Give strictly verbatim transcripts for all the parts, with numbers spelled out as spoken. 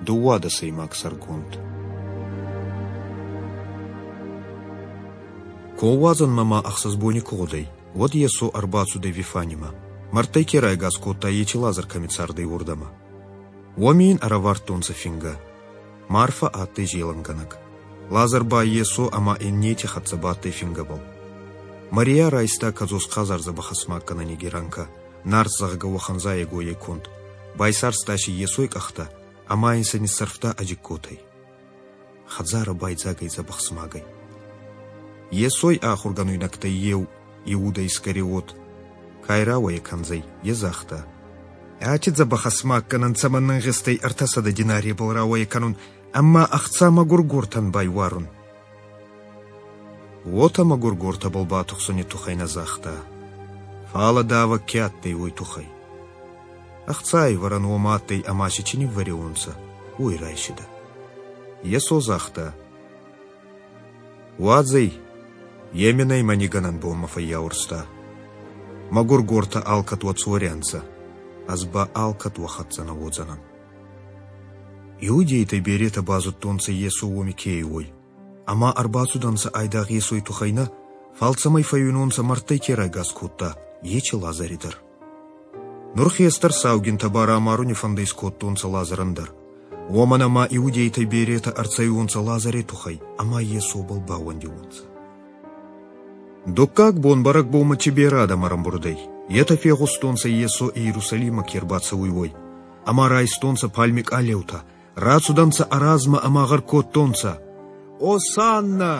Дыууадӕсӕймаг сӕргонд. Комуадзӕнмӕ ма ӕхсӕз бони ку гъудӕй, уӕд Йесо ӕрбацудӕй Вифанимӕ, мӕрдтӕй ке райгас кодта, еци Лазӕр кӕми цардӕй, уордӕмӕ. Уоми ин ӕрӕвардтонцӕ фингӕ. Марфӕ адтӕй зелӕнгӕнӕг. Лазӕр ба Йесо ӕма иннети хӕццӕ бадтӕй фингӕбӕл. Мария райста кӕдзос хъазар дзӕбӕх ӕсмаггӕнӕни геранкӕ, нард, зӕгъгӕ, уӕхӕн зайӕгойӕй конд. Байсарста си Йесой къӕхтӕ ӕма ин сӕ ниссӕрфта ӕ дзигкотӕй. Хӕдзарӕ байдзаг ӕй дзӕбӕх смагӕй. Йесой ахургӕнуйнӕгтӕй еу, Иудӕ Искариот, ка ӕй рауӕйӕ кӕндзӕй, е загъта: Аци дзӕбӕх ӕсмаггӕнӕн цӕмӕн ӕнгъизтӕй ӕртӕсӕдӕ динаребӕл рауӕйӕ кӕнун ӕма ӕхца мӕгургортӕн байуарун? Уотӕ мӕгургортӕбӕл батухсуни туххӕй нӕ загъта, фал давӕг ке адтӕй, уой туххӕй. Ӕхцайӕвӕрӕн уомӕ адтӕй ӕма си ци ниввӕриуонцӕ, уой райсидӕ. Йесо загъта: Уадзӕй, е мин ӕй мӕ нигӕнӕн бонмӕ фӕййаурста. Мӕгургортӕ алкӕд уӕ цори ӕнцӕ, ӕз ба алкӕд уӕ хӕццӕ нӕ уодзӕнӕн. Иудейтӕй беретӕ базудтонцӕ, Йесо уоми ке ӕй, уой, ӕма ӕрбацудӕнцӕ айдагъ Йесой туххӕй нӕ, фал цӕмӕй фӕууинонцӕ, мӕрдтӕй ке райгас кодта, еци Лазӕри дӕр. Нур хестӕр саугинтӕ ба рамаруни фӕндӕ искодтонцӕ Лазӕрӕн дӕр, уомӕн ӕма иудейтӕй беретӕ ӕрцӕуиуонцӕ Лазӕри туххӕй ӕма Йесобӕл баууӕндиуонцӕ. Дуккаг бон бӕрӕгбонмӕ ци берӕ адӕм ӕрӕмбурд ӕй, етӕ фегъустонцӕ, Йесо Иерусалиммӕ ке рбацӕуй, уой, ӕма райстонцӕ пальми къалеутӕ, рацудӕнцӕ ӕ размӕ ӕма гъӕр кодтонцӕ: Осанна!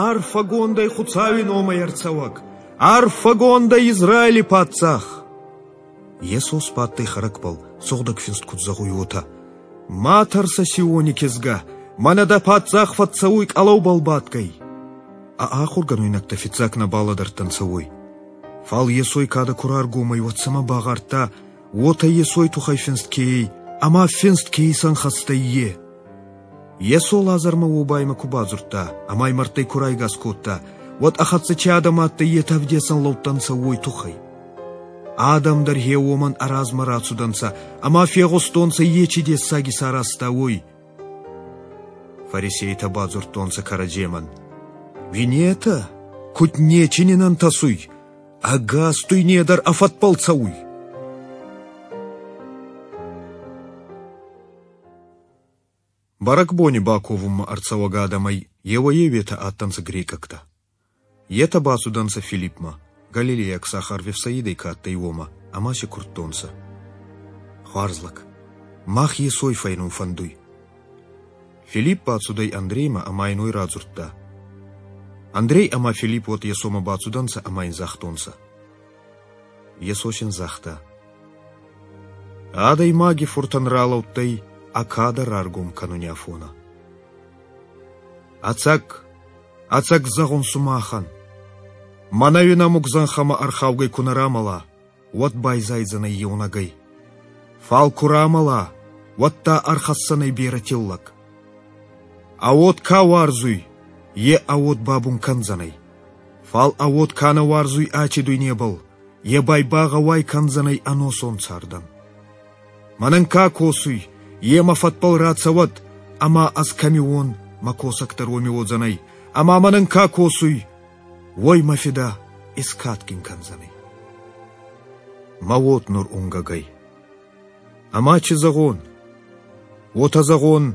Арфӕгонд ӕй Хуцауи номӕй ӕрцӕуӕг! Арфӕгонд ӕй Израили паддзах! Йесо сбадтӕй хӕрӕгбӕл, Сугъдӕг Финст куд зӕгъуй, уотӕ: Ма тӕрсӕ, Сиони кизгӕ, мӕнӕ дӕ паддзах фӕццӕуй къӕлӕубӕл бадгӕй. Ӕ ахургӕнуйнӕгтӕ фиццаг нӕ балӕдӕрдтӕнцӕ уой. Фал Йесой кадӕ ку раргом ӕй, уӕд сӕмӕ багъардта, уотӕ Йесой туххӕй финст ке ӕй, ӕма финст ке исӕнхӕст ӕй, е. Йесо Лазӕрмӕ уобаймӕ ку бадзурдта ӕма ӕй мӕрдтӕй ку райгас кодта, уӕд ӕ хӕццӕ ци адӕм адтӕй, етӕ ӕвдесӕн лӕудтӕнцӕ уой туххӕй. Адӕм дӕр гъе уомӕн ӕ размӕ рацудӕнцӕ ӕма фегъустонцӕ, е ци дессаг исаразта, уой. Фарисейтӕ бадзурдтонцӕ кӕрӕдземӕн: Уинетӕ, куд нечи нин ӕнтӕсуй, ӕгас дуйне дӕр ӕ фӕдбӕл цӕуй. Бӕрӕгбони баковунмӕ ӕрцӕуӕг адӕмӕй еуӕй-еуетӕ адтӕнцӕ грекъӕгтӕ. Етӕ бацудӕнцӕ Филиппмӕ, галилейаг сахар Вифсаидӕй ка адтӕй, уомӕ, ӕма си курдтонцӕ: Хуарз лӕг, мах Йесой фӕйнун фӕндуй. Филипп бацудӕй Андреймӕ ӕма ин уой радзурдта. Андрей ӕма Филипп уӕд Йесомӕ бацудӕнцӕ ӕма ин загътонцӕ. Йесо син загъта: Адӕймаги Фуртӕн ралӕудтӕй ӕ кадӕ раргом кӕнуни афонӕ. Ӕцӕг, ӕцӕг зӕгъун сумахӕн, мӕнӕуи нӕмуг зӕнхӕмӕ ӕрхаугӕй ку нӕ рамӕла, уӕд байзайдзӕнӕй еунӕгӕй. Фал ку рамӕла, уӕдта ӕрхӕсдзӕнӕй берӕ тиллӕг. Ӕ уод ка уарзуй, е ӕ уод бабун кӕндзӕнӕй. Фал ӕ уод ка нӕ уарзуй аци дуйнебӕл, е ба ӕй багъӕуай кӕндзӕнӕй ӕносон цардӕн. Мӕнӕн ка косуй, е мӕ фӕдбӕл рацӕуӕд, ӕма ӕз кӕми уон, мӕ косӕг дӕр уоми уодзӕнӕй, ӕма мӕнӕн ка косуй, уой мӕ Фидӕ искадгин кӕндзӕнӕй. Мӕ уод нур унгӕг ӕй. Ӕма ци зӕгъон? Уотӕ зӕгъон,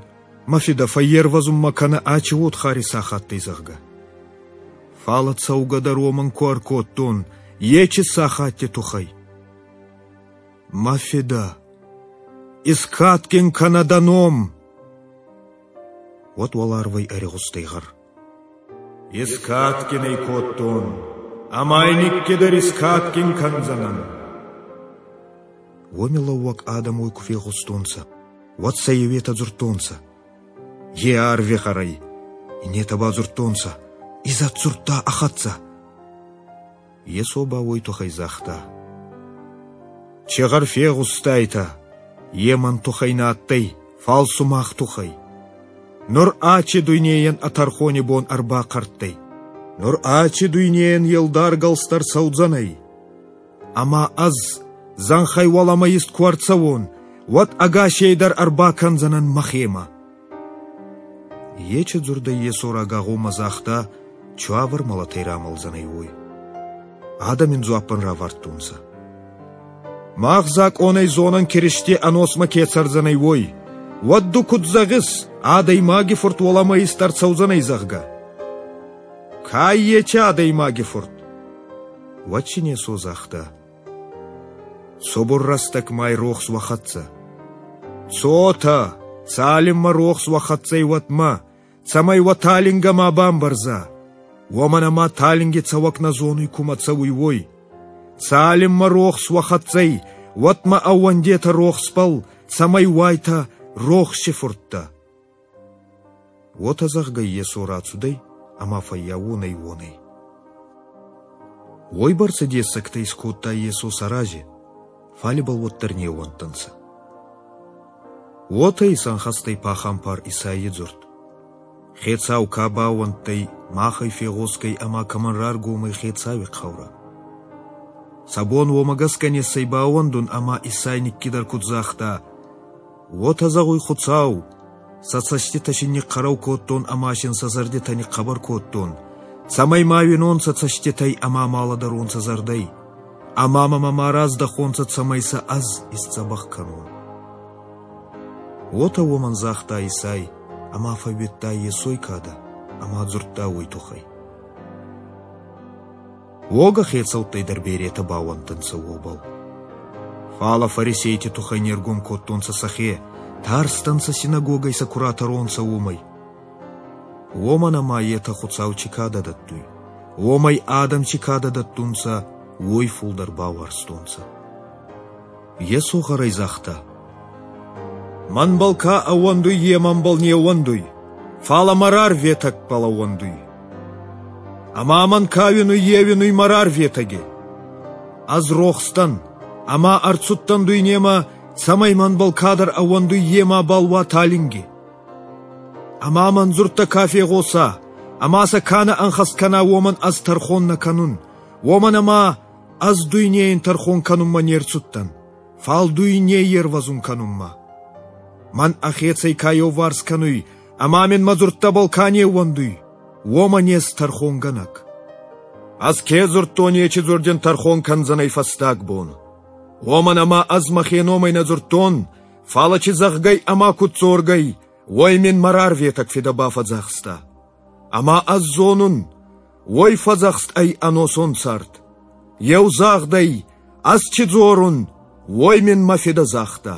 мӕ Фидӕ, фӕййервӕзун мӕ кӕнӕ аци уодхари сахаттӕй, зӕгъгӕ. Фал цӕугӕ дӕр уомӕн ку ӕркодтон, еци сахатти туххӕй. Мӕ Фидӕ, искадгин кӕнӕ дӕ ном! Уӕд уӕларвӕй ӕригъустӕй гъӕр: Искадгин ӕй кодтон, ӕма ӕй никкидӕр искадгин кӕндзӕнӕн. Уоми лӕууӕг адӕм уой ку фегъустонцӕ, уӕд сӕ еуетӕ дзурдтонцӕ: Е арви гъӕр ӕй. Иннетӕ ба дзурдтонцӕ: Изӕд дзурдта ӕ хӕццӕ. Йесо ба уой туххӕй загъта: Ци гъӕр фегъустайтӕ, е мӕн туххӕй нӕ адтӕй, фал сумах туххӕй. Нур аци дуйнейӕн ӕ тӕрхони бон ӕрбахъӕрттӕй. Нур аци дуйнейӕн е лдар гӕлст ӕрцӕудзӕнӕй. Ӕма ӕз зӕнхӕй уӕлӕмӕ ист ку ӕрцӕуон, уӕд ӕгасей дӕр ӕрбакӕндзӕнӕн мӕхемӕ. Ечи дзурдӕй Йесо рагагъоммӕ загъта, циуавӕр мӕлӕтӕй рамӕлдзӕнӕй, уой. Адӕм ин дзуаппӕн равардтонцӕ: Мах закъонӕй зонӕн Киристе ӕносмӕ ке цӕрдзӕнӕй, уой. Уӕд ду куд зӕгъис, Адӕймаги Фурт уӕлӕмӕ ист ӕрцӕудзӕнӕй, зӕгъгӕ? Ка ӕй ечи Адӕймаги Фурт? Уӕд син Йесо загъта: Цубур рӕстӕг ма ӕй рохс уӕ хӕццӕ. Цотӕ, цалинмӕ рохс уӕ хӕццӕ ӕй, уӕдмӕ, цӕмӕй уӕ талингӕ ма бамбӕрза. Уомӕн ӕма талинги цӕуӕг нӕ зонуй, кумӕ цӕуй, уой. Цалинмӕ рохс уӕ хӕццӕ ӕй, уӕдмӕ ӕууӕндетӕ рохсбӕл, цӕмӕй уайтӕ рохси фурттӕ. Уотӕ зӕгъгӕй, Йесо рацудӕй ӕма фӕййаууон ӕй уонӕй. Уойбӕрцӕ дессӕгтӕ искодта Йесо сӕ рази, фал ибӕл уӕддӕр не ууӕндтӕнцӕ. Уотӕ исӕнхӕст ӕй пахампар Исайи дзурд: Хецау, ка баууӕндтӕй, махӕй фегъосгӕй ӕма кӕмӕн раргом ӕй Хецауи хъаурӕ? Сӕ бон уомӕ гӕсгӕ не ссӕй баууӕндун, ӕма Исай никкидӕр куд загъта: Уотӕ зӕгъуй Хуцау, сӕ цӕститӕ син нихъхъӕрӕу кодтон ӕма син сӕ зӕрдитӕ нихъхъӕбӕр кодтон, цӕмӕй ма уинонцӕ цӕститӕй ӕма ма лӕдӕронцӕ зӕрдӕй, ӕма мӕмӕ ма раздӕхонцӕ, цӕмӕй сӕ ӕз исдзӕбӕх кӕнон. Уотӕ уомӕн загъта Исай, ӕма фӕууидта Йесой кадӕ ӕма дзурдта уой туххӕй. Уогӕ хецӕуттӕй дӕр беретӕ баууӕндтӕнцӕ уобӕл. Фалӕ фарисейти туххӕй не ргом кодтонцӕ сӕхе, тарстӕнцӕ синагогӕй сӕ ку ратӕронцӕ, уомӕй. Уомӕн ӕма етӕ Хуцау ци кадӕ дӕттуй, уомӕй адӕм ци кадӕ дӕттунцӕ, уой фулдӕр бауарзтонцӕ. Йесо гъӕрӕй загъта: Мӕнбӕл ка ӕууӕндуй, е мӕнбӕл не ууӕндуй, фалӕ мӕ рарветӕгбӕл ӕууӕндуй. Ӕма мӕн ка уинуй, е уинуй мӕ рарветӕги. Ӕз рохс дӕн, ӕма ӕрцудтӕн дуйнемӕ, цӕмӕй мӕнбӕл кадӕр ӕууӕндуй, е мабал уа талинги. Ӕма мӕн дзурдтӕ ка фегъоса, ӕма сӕ ка нӕ ӕнхӕст кӕна, уомӕн ӕз тӕрхон нӕ кӕнун, уомӕн ӕма ӕз дуйнейӕн тӕрхон кӕнунмӕ не рцудтӕн, фал дуйней ервӕзун кӕнунмӕ. Мӕн ӕхецӕй ка еуварс кӕнуй, ӕма мин мӕ дзурдтӕбӕл ка не ууӕндуй, уомӕн ес тӕрхонгӕнӕг. Ӕз ке дзурдтон, ечи дзурд ин тӕрхон кӕндзӕнӕй фӕстаг бон. Уомӕн ӕма ӕз мӕхе номӕй нӕ дзурдтон, фалӕ ци зӕгъгӕй ӕма куд дзоргӕй, уой мин мӕ рарветӕг Фидӕ бафӕдзахста. Ӕма ӕз зонун, уой фӕдзӕхст ӕй ӕносон цард. Еу загъдӕй, ӕз ци дзорун, уой мин мӕ Фидӕ загъта.